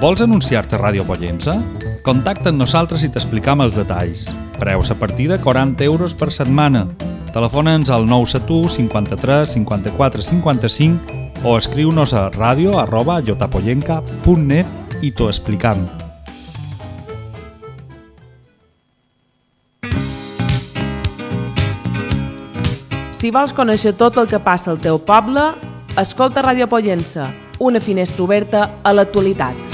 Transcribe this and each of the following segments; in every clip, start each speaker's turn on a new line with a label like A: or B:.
A: Vols anunciar-te a Ràdio Pollença? Contacta amb nosaltres i t'explicam els detalls. Preus a partir de 40 euros per setmana. Telefona'ns al 971 53 54 55 o escriu-nos a radio@jotapollenca.net i t'ho explicam.
B: Si vols conèixer tot el que passa al teu poble, escolta Ràdio Pollença, una finestra oberta a l'actualitat.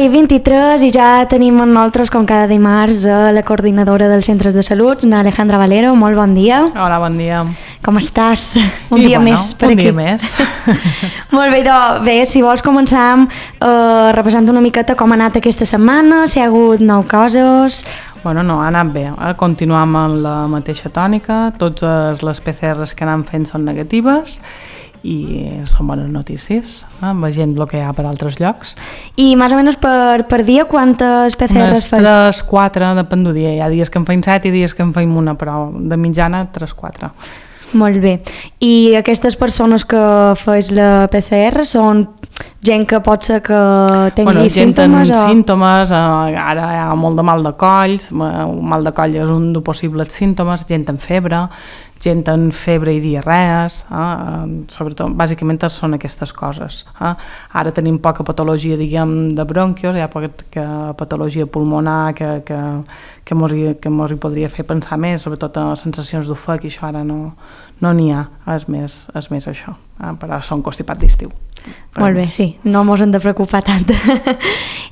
C: i 23 i ja tenim amb nosaltres, com cada dimarts, la coordinadora dels centres de salut, Alejandra Valero. Molt bon dia.
D: Hola, bon dia.
C: Com estàs? Un dia més per aquí.
D: Un dia més.
C: Molt bé, doncs, bé, si vols començar repassant una miqueta com ha anat aquesta setmana, si hi ha hagut nou coses.
D: Bueno, no, ha anat bé. Continuem amb la mateixa tònica, totes les PCRs que anem fent són negatives i són bones notícies, veient el que hi ha per altres llocs.
C: I més o menys per dia quantes PCRs fas?
D: 3-4, depèn del dia. Hi ha dies que en feim 7 i dies que en feim una, però de mitjana 3-4.
C: Molt bé. I aquestes persones que fes la PCR són gent que pot ser que tingui símptomes?
D: Gent amb símptomes, ara hi ha molt de mal de coll, mal de coll és un dels possibles símptomes, gent amb febre i diarrees, sobretot, bàsicament són aquestes coses. Ara tenim poca patologia, diguem, de bronquios, hi ha poca patologia pulmonar que mos hi podria fer pensar més, sobretot a sensacions d'ofec, i això ara no n'hi ha, és més això, però són constipats d'estiu.
C: Molt bé, sí, no mos hem de preocupar tant.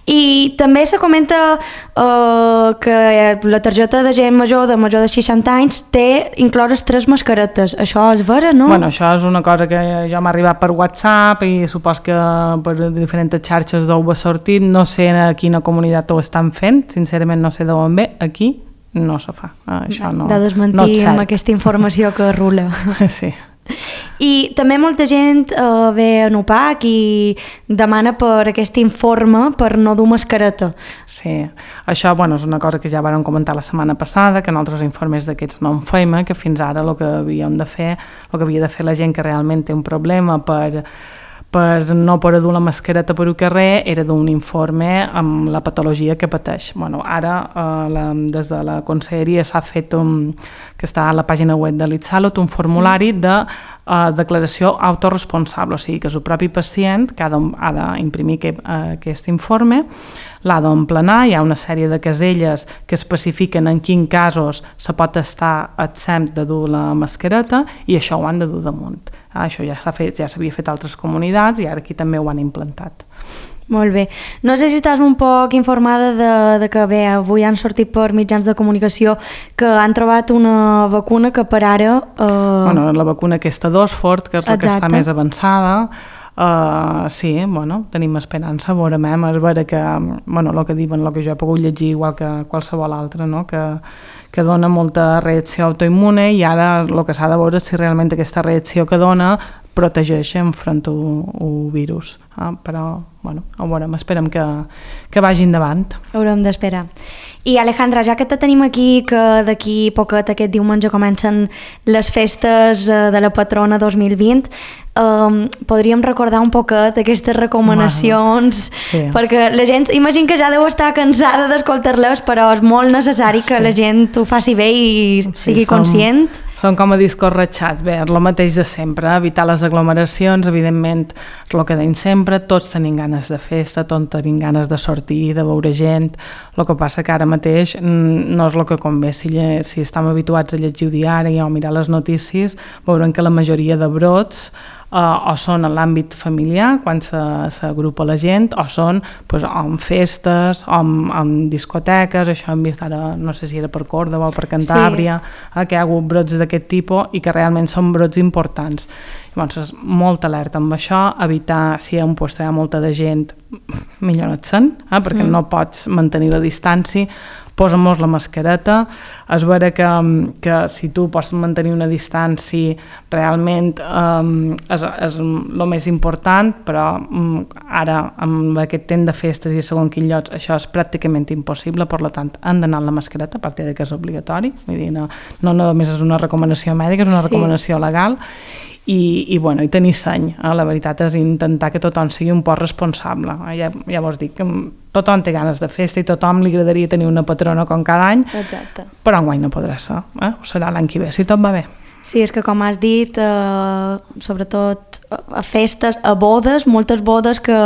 C: I també se comenta que la targeta de gent major de 60 anys té incloses 3 mascaretes. Això és vera, no?
D: Bueno, això és una cosa que ja m'ha arribat per WhatsApp i supos que per diferents xarxes d'ho ha sortit. No sé a quina comunitat ho estan fent, sincerament no sé d'on ve. Aquí no se fa. Això no,
C: de desmentir amb aquesta informació que rula.
D: Sí.
C: I també molta gent ve a UPAC i demana per aquest informe per no dur mascareta.
D: Sí, això és una cosa que ja vam comentar la setmana passada, que nosaltres informes d'aquests no en feim, que fins ara el que havia de fer la gent que realment té un problema per no poder dur la mascareta per un carrer era d'un informe amb la patologia que pateix. Ara des de la conselleria s'ha fet que està a la pàgina web de l'Itsalut un formulari de declaració autoresponsable, o sigui que és el propi pacient que ha d'imprimir aquest informe, l'ha d'emplenar, hi ha una sèrie de caselles que especifiquen en quins casos se pot estar exempt de dur la mascareta i això ho han de dur damunt. Això ja s'havia fet a altres comunitats i ara aquí també ho han implantat.
C: Molt bé. No sé si estàs un poc informada de que bé, avui han sortit per mitjans de comunicació que han trobat una vacuna que per ara...
D: La vacuna aquesta d'Oxford, que és la que està més avançada. Sí, tenim esperança, veurem, és vera que, el que diuen, el que jo he pogut llegir igual que qualsevol altre, no? que dona molta reacció autoimmune i ara el que s'ha de veure és si realment aquesta reacció que dona protegeix enfront al virus. Però, ho veurem, esperem que vagi endavant.
C: Haurem d'esperar. I Alejandra, ja que te tenim aquí, que d'aquí poquet aquest diumenge comencen les festes de la patrona 2020, podríem recordar un poquet aquestes recomanacions,
D: sí.
C: Perquè la gent, imagino que ja deu estar cansada d'escoltar-les, però és molt necessari que la gent ho faci bé i sigui conscient.
D: Són com a discos ratxats, bé, és el mateix de sempre, evitar les aglomeracions, evidentment, és el que deim sempre, tots tenim ganes de festa, tots tenim ganes de sortir, de veure gent, el que passa que ara mateix no és el que convé, si estem habituats a llegir el diari o mirar les notícies, veurem que la majoria de brots o són en l'àmbit familiar, quan s'agrupa la gent, o són pues, en festes, o en discoteques, això hem vist ara, no sé si era per Còrdova o per Cantàbria, que hi ha hagut brots d'aquest tipus i que realment són brots importants. Llavors, molta alerta amb això, evitar, si hi ha un lloc hi ha molta de gent, millor no et sent, perquè no pots mantenir la distància, posa-mos la mascareta, és vera que si tu pots mantenir una distància realment és el més important, però ara amb aquest temps de festes i segons quins llocs això és pràcticament impossible, per tant han d'anar amb la mascareta, a part que és obligatori, vull dir, no només és una recomanació mèdica, és una recomanació legal, i tenir seny. La veritat és intentar que tothom sigui un poc responsable. Ja vos dic que tothom té ganes de festa i tothom li agradaria tenir una patrona com cada any, però enguany no podrà ser. Ho serà l'any que ve, si tot va bé.
C: Sí, és que com has dit, sobretot a festes, a bodes, moltes bodes que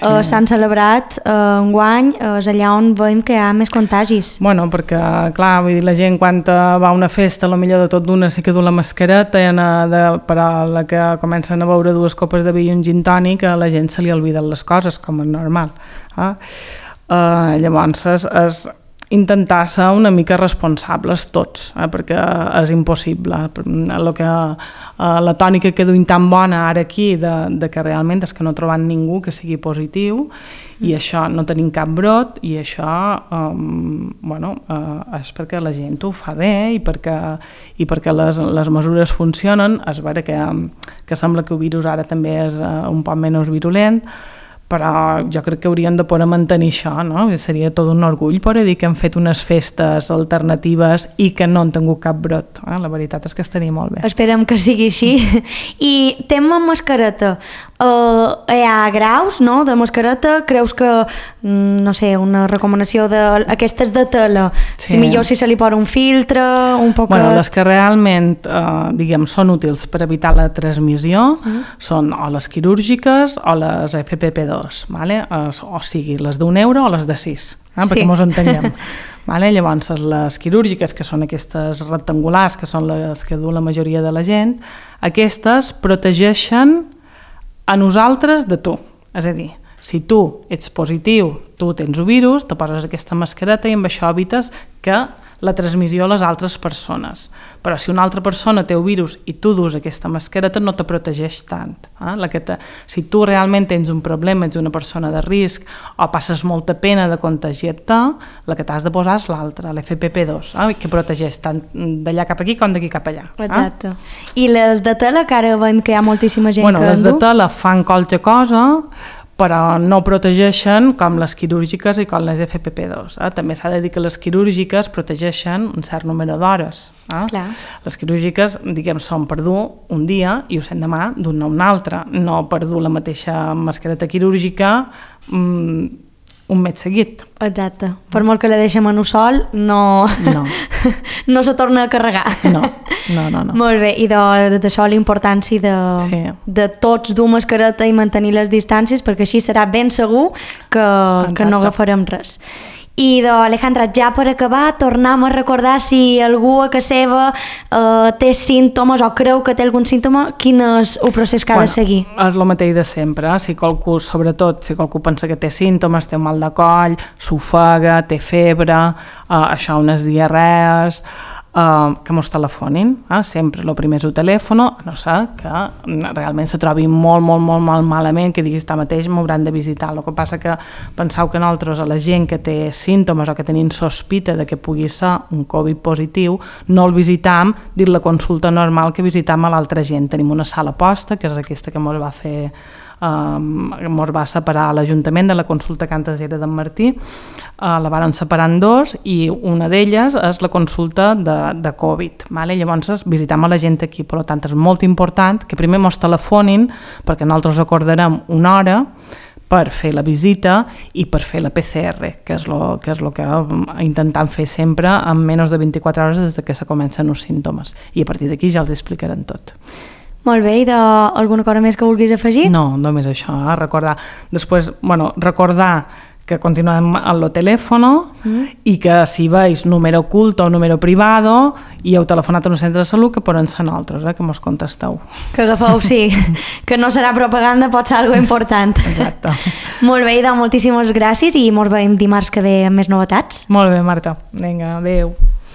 C: s'han celebrat enguany, és allà on veiem que hi ha més contagis.
D: Bueno, perquè, clar, vull dir, la gent quan va a una festa, a lo millor de tot d'una sí que du la mascareta, però a la que comencen a beure 2 copes de vi i un gin tònic, a la gent se li olviden les coses, com és normal. Llavors, és intentar ser una mica responsables tots, perquè és impossible. La tònica que duim tan bona ara aquí de que realment és que no trobem ningú que sigui positiu i això no tenim cap brot i això és perquè la gent ho fa bé i perquè les mesures funcionen. És vera que sembla que el virus ara també és un poc menys virulent, però jo crec que hauríem de poder mantenir això, no? Seria tot un orgull poder dir que hem fet unes festes alternatives i que no han tingut cap brot. La veritat és que estaria molt bé.
C: Esperem que sigui així. I tema mascareta. Hi ha graus, no?, de mascareta. Creus que, no sé, una recomanació d'aquestes de tela, si millor si se li posa un filtre, un poc...
D: Bueno, les que realment, diguem, són útils per evitar la transmissió són o les quirúrgiques o les FFP2, vale? O sigui, les d'€1 o les de 6, perquè mos entenguem. Vale? Llavors, les quirúrgiques, que són aquestes rectangulars, que són les que du la majoria de la gent, aquestes protegeixen a nosaltres de tu. És a dir, si tu ets positiu, tu tens el virus, te poses aquesta mascareta i amb això evites que la transmissió a les altres persones. Però si una altra persona té el virus i tu dus aquesta mascareta, no te protegeix tant. Si tu realment tens un problema, ets una persona de risc o passes molta pena de contagiar-te, la que t'has de posar és l'altra, l'FFP2, que protegeix tant d'allà cap aquí com d'aquí cap allà.
C: Exacte. I les de tela, que ara veiem que hi ha moltíssima gent que en du?
D: Les de tela fan qualque cosa, però no protegeixen com les quirúrgiques i com les FFP2. També s'ha de dir que les quirúrgiques protegeixen un cert número d'hores. Les quirúrgiques, diguem, són per dur un dia i ho sent demà d'un a un altre, no per dur la mateixa mascareta quirúrgica un mes seguit.
C: Exacte. Per molt que la deixem en un sol, no se torna a carregar.
D: No.
C: Molt bé, i d'això la importància de tots dur mascareta i mantenir les distàncies, perquè així serà ben segur que no agafarem res. I Alejandra, ja per acabar, tornem a recordar si algú a casa seva té símptomes o creu que té algun símptoma, quin és el procés que ha de seguir?
D: És el mateix de sempre. Sobretot, si qualcú pensa que té símptomes, té un mal de coll, s'ofega, té febre, això, unes diarrees, que mos telefonin, sempre el primer és el telèfon, a no ser que realment se trobi molt malament, que diguis mateix m'hauran de visitar. El que passa que penseu que nosaltres, a la gent que té símptomes o que tenim sospita de que pugui ser un Covid positiu, no el visitam dins la consulta normal que visitam a l'altra gent. Tenim una sala posta, que és aquesta que mos va fer mos va separar a l'Ajuntament de la consulta que antes era d'en Martí, la varen separar en 2 i una d'elles és la consulta de Covid. Llavors visitam a la gent aquí, per tant és molt important que primer mos telefonin perquè nosaltres acordarem una hora per fer la visita i per fer la PCR, que és el que intentem fer sempre en menys de 24 hores des que se comencen els símptomes. I a partir d'aquí ja els explicarem tot.
C: Molt bé, i alguna cosa més que vulguis afegir?
D: No, només això, recordar. Després, recordar que continuem al telèfon i que si veus número oculto o número privado i heu telefonat a un centre de salut, que poden ser nosaltres, que mos contesteu.
C: Que agafeu, sí, que no serà propaganda, pot ser algo important.
D: Exacte.
C: Molt bé, Ida, moltíssimes gràcies i mos veiem dimarts que ve amb més novetats.
D: Molt bé, Marta. Vinga, adéu.